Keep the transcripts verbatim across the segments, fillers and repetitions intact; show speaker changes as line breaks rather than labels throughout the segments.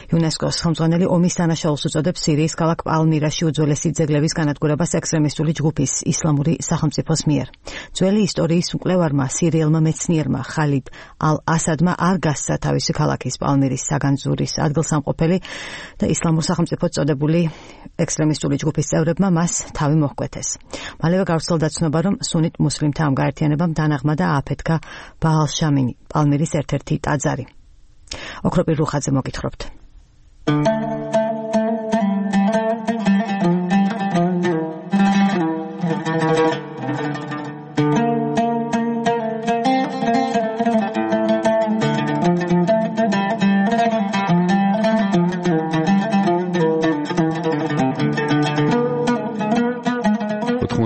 იუნესკოს ხელმძღვანელი ომის დანაშაულს უწოდებს სირიის ქალაქ პალმირაში უძველესი ძეგლების განადგურებას ექსტრემისტული ჯგუფის ისლამური სახელმწიფოს მიერ. ძველი ისტორიის მკვლევარმა სირიელმა მეცნიერმა ხალიდ ალ-ასადმა არ გასცა თავისი ქალაქის პალმირის საგანძურის ადგილსამყოფელი და ისლამურ სახელმწიფოს წოდებული ექსტრემისტული ჯგუფის წევრებმა მას თავი მოჰკვეთეს. მალევე გავრცელდა ცნობა, რომ სუნით მუსლიმთა ამ გაერთიანებამ დანაღმა და ააფეთქა ბაალ-შამინი, პალმირის ერთ-ერთი ტაძარი. ოქროპირ რუხაძე მოგითხრობთ.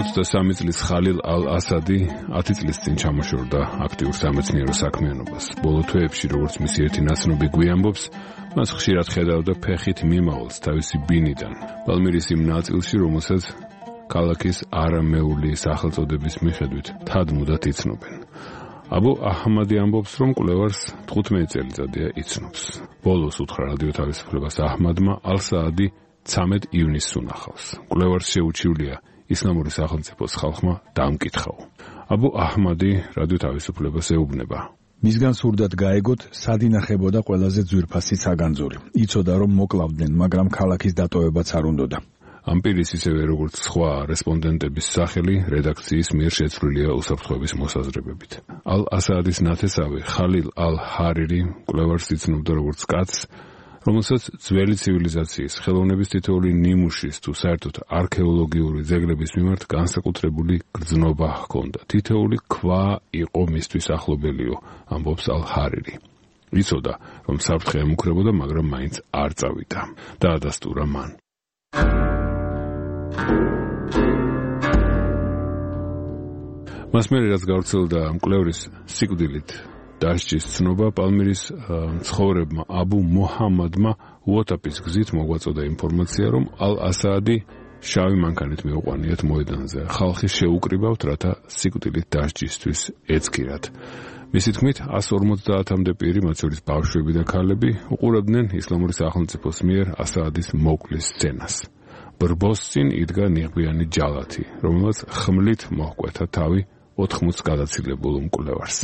ოცდასამი წლის ხალილ ალ-ასადი ათი წლის წინ ჩამოშორდა აქტიურ სამეცნიერო საქმიანობას. ბოლო თვეებში, როგორც მისი ერთი ნაცნობი გვიამბობს, მას ხშირად ხედავდა ფეხით მიმავალს თავისი ბინიდან. პალმირის იმ ნაწილში, რომელსაც ქალაქის არამეული სახელწოდების მიხედვით თადმუდად იცნობენ. აბუ აჰმადი ამბობს, რომ კვლევარს თხუთმეტი წელიწადია იცნობს. ბოლოს უთხრა რადიო თავისუფლებას აჰმადმა ალ-საადი ცამეტ ივნისს უნახავს. კვლევარს შეუჩივლია ისლამური სახელმწიფოს ხალხმა დაამკითხაო. აბუ აჰმადი რადიო თავისუფლებას ეუბნება.
მისგან სურდათ გაეგოთ, სად ინახებოდა ყველაზე ძვირფასი საგანძური. იცოდა, რომ მოკლავდნენ, მაგრამ ქალაქის დატოვებაც არ უნდოდა.
ამ პირის ისევე როგორც სხვა რესპონდენტების სახელი რედაქციის მიერ შეცვლილია უსაფრთხოების მოსაზრებებით. ალ-ასადის ნათესავი ხალილ ალ-ჰარირი კვლევარს იცნობდა როგორც კაცს, რომელსაც ძველი ცივილიზაციის ხელოვნების თითოეული ნიმუშის თუ საერთოდ არქეოლოგიური ძეგლების მიმართ განსაკუთრებული გრძნობა ჰქონდა. თითოეული ქვა იყო მისთვის ახლობელიო, ამბობს ალ-ჰარირი. იცოდა, რომ საფრთხე ემუქრებოდა, მაგრამ მაინც არ წავიდა. დაადასტურა მან. მას მერე რაც გავრცელდა მკვლევრის სიკვდილით დასჯის ცნობა, პალმირის მცხოვრებმა აბუ მოჰამადმა უოტაპის გზით მოგვაწოდა ინფორმაცია, რომ ალ-ასადი შავი მანქანით მიუყვანიათ მოედანზე. ხალხი შეუკრიბავთ, რათა სიკვდილით დასჯისთვის ეცქირათ. მისი თქმით, εκατს ორმოცდაათამდე პირი, მათ შორის ბავშვები და ქალები, უყურებდნენ ისლამური სახელმწიფოს მიერ ასადის მოკლის სცენას. ბრბოს წინ იდგა ნიღბიანი ჯალათი, რომელსაც ხმლით მოჰკვეთა თავი ოთხმოცს გადაცილებულ მკვლევარს.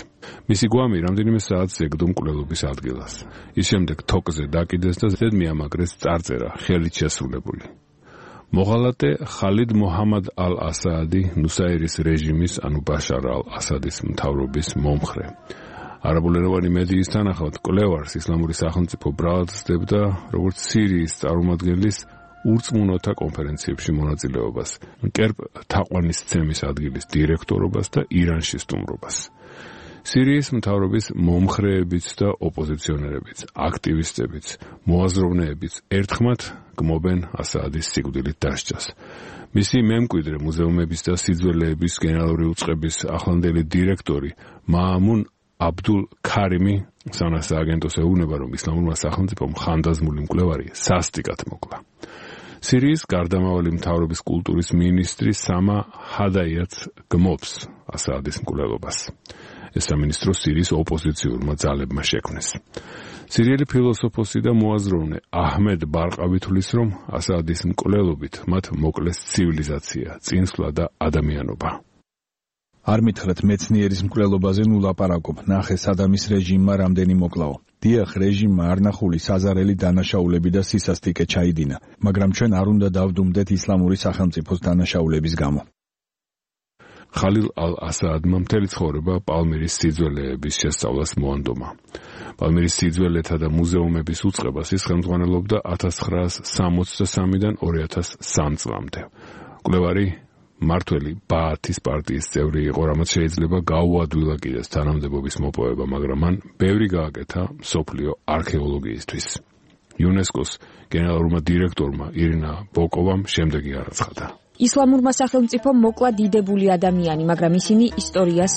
მისი გვამი რამდენიმე საათს ეგდო მკვლელობის ადგილას. ის შემდეგ თოკზე დაკიდეს და ზედ მიამაგრეს წარწერა ხელით შესრულებული. მოღალატე ხალიდ მოჰამად ალ-ასადი ნუსაირის რეჟიმის, ანუ ბაშარ ალ-ასადის მთავრობის მომხრე. არაბულენოვანი მედიის თანახმად მკვლევარს ისლამური სახელმწიფო ბრალად სდებდა როგორც სირიის წარმომადგენლის ურწმუნოთა კონფერენციებში მონაწილეობას, კერპ თაყვანის ცემის ადგილის დირექტორობას და ირანში სტუმრობას. სირიის მთავრობის მომხრეებიც და ოპოზიციონერებიც, აქტივისტებიც, მოაზროვნეებიც ერთხმად გმობენ ასადის სიკვდილით დასჯას. მისი მემკვიდრე მუზეუმების და სიძველეების გენერალური უწყების ახლანდელი დირექტორი მაამუნ აბდულ ქარიმი სანას აგენტოს ეუბნება, რომ ისლამურმა სახელმწიფომ ხანდაზმული მკვლევარი სასტიკად მოკლა. სირიის გარდამავალი მთავრობის კულტურის მინისტრი სამა ჰადაიაც გმობს ასადის მკვლელობას. ეს სამინისტრო სირიის ოპოზიციურმა ძალებმა შექმნეს. სირიელი ფილოსოფოსი და მოაზროვნე აჰმედ ბარყავი თვლის, რომ ასადის მკვლელობით მათ მოკლეს ცივილიზაცია, წინსვლა და ადამიანობა.
არ მითხრათ მეცნიერის მკვლელობაზე ნუ ლაპარაკობ, ნახე სადამის რეჟიმმა რამდენი მოკლაო. დიახ, რეჟიმმა არნახული საზარელი დანაშაულები და სისასტიკე ჩაიდინა, მაგრამ ჩვენ არ უნდა დავდუმდეთ ისლამური სახელმწიფოს დანაშაულების გამო.
ხალილ ალ-ასადმა მთელი ცხოვრება პალმირის სიძველეების შესწავლას მოანდომა. პალმირის სიძველეთა და მუზეუმების უწყებას ის ხელმძღვანელობდა ათას ცხრაას სამოცდასამიდან ორი ათას სამი წლამდე. მკვლევარი მართველი ბაათის პარტიის წევრი იყო, რამაც შეიძლება გაუადვილა კიდეს თანამდებობის მოპოვება, მაგრამ მან ბევრი გააკეთა მსოფლიო არქეოლოგიისთვის. იუნესკოს გენერალურმა დირექტორმა ირინა ბოკოვამ შემდეგი არაცხადა.
ისლამურმა სახელმწიფომ მოკლა დიდებული ადამიანი, მაგრამ ისინი ისტორიას